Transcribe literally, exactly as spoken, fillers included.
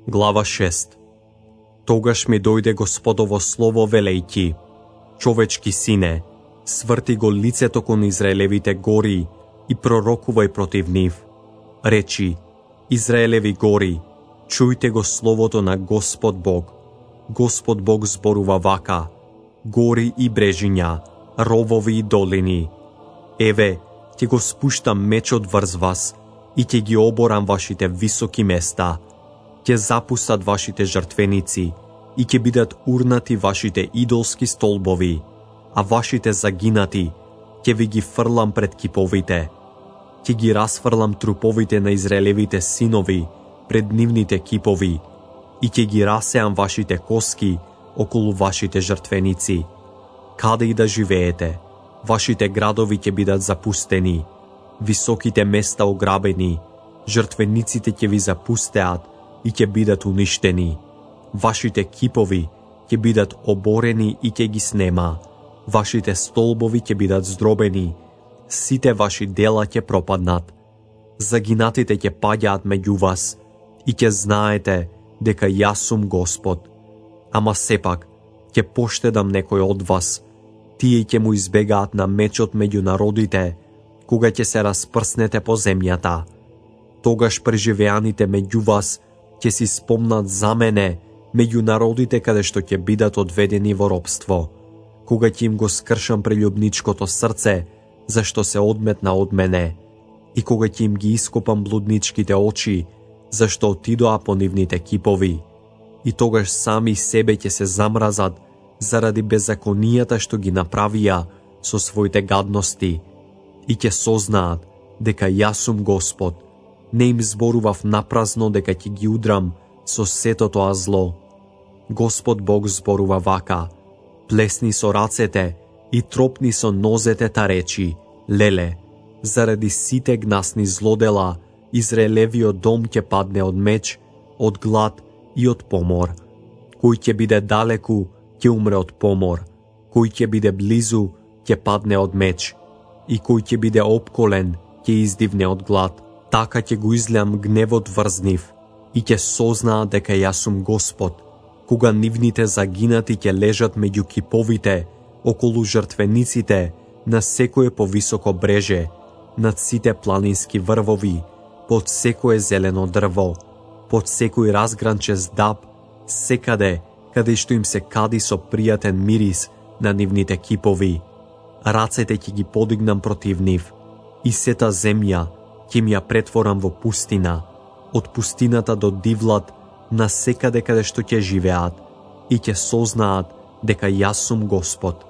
Глава шеста. Тогаш ми дојде Господово слово велејќи: човечки сине, сврти го лицето кон Израелевите гори и пророкувај против нив. Речи: Израелеви гори, чујте го словото на Господ Бог. Господ Бог зборува вака: гори и брежиња, ровови и долини. Еве, ќе го спуштам мечот врз вас и ќе ги оборам вашите високи места. Ќе запустат вашите жртвеници и ќе бидат урнати вашите идолски столбови, а вашите загинати ќе ви ги фрлам пред киповите. Ќе ги расфрлам труповите на Израелевите синови пред нивните кипови и ќе ги расеам вашите коски околу вашите жртвеници. Каде и да живеете, вашите градови ќе бидат запустени, високите места ограбени, жртвениците ќе ви запустеат и ќе бидат уништени. Вашите кипови ќе бидат оборени и ќе ги снема. Вашите столбови ќе бидат здробени, сите ваши дела ќе пропаднат. Загинатите ќе паѓаат меѓу вас и ќе знаете дека јас сум Господ. Ама сепак ќе поштедам некој од вас, тие ќе му избегаат на мечот меѓу народите, кога ќе се распрснете по земјата. Тогаш преживеаните меѓу вас ќе си спомнат за мене меѓу народите каде што ќе бидат одведени во робство, кога ќе им го скршам прелюбничкото срце, зашто се одметна од мене, и кога ќе им ги ископам блудничките очи, зашто отидоа по нивните кипови. И тогаш сами себе ќе се замразат заради беззаконијата што ги направија со своите гадности и ќе сознаат дека јас сум Господ. Не им зборував напразно дека ќе ги удрам со сето тоа зло. Господ Бог зборува вака: плесни со рацете и тропни со нозете та речи: леле, заради сите гнасни злодела Израелевиот дом ќе падне од меч, од глад и од помор. Кој ќе биде далеку, ќе умре од помор. Кој ќе биде близу, ќе падне од меч. И кој ќе биде опколен, ќе издивне од глад. Така ќе го излеам гневот врз нив и ќе сознаат дека јас сум Господ, кога нивните загинати ќе лежат меѓу киповите, околу жртвениците, на секое повисоко бреже, над сите планински врвови, под секое зелено дрво, под секој разгранчест даб, секаде каде што им се кади со пријатен мирис на нивните кипови. Рацете ќе ги подигнам против нив и сета земја ќе ми ја претворам во пустина, од пустината до дивлад, на секаде каде што ќе живеат, и ќе сознаат дека јас сум Господ.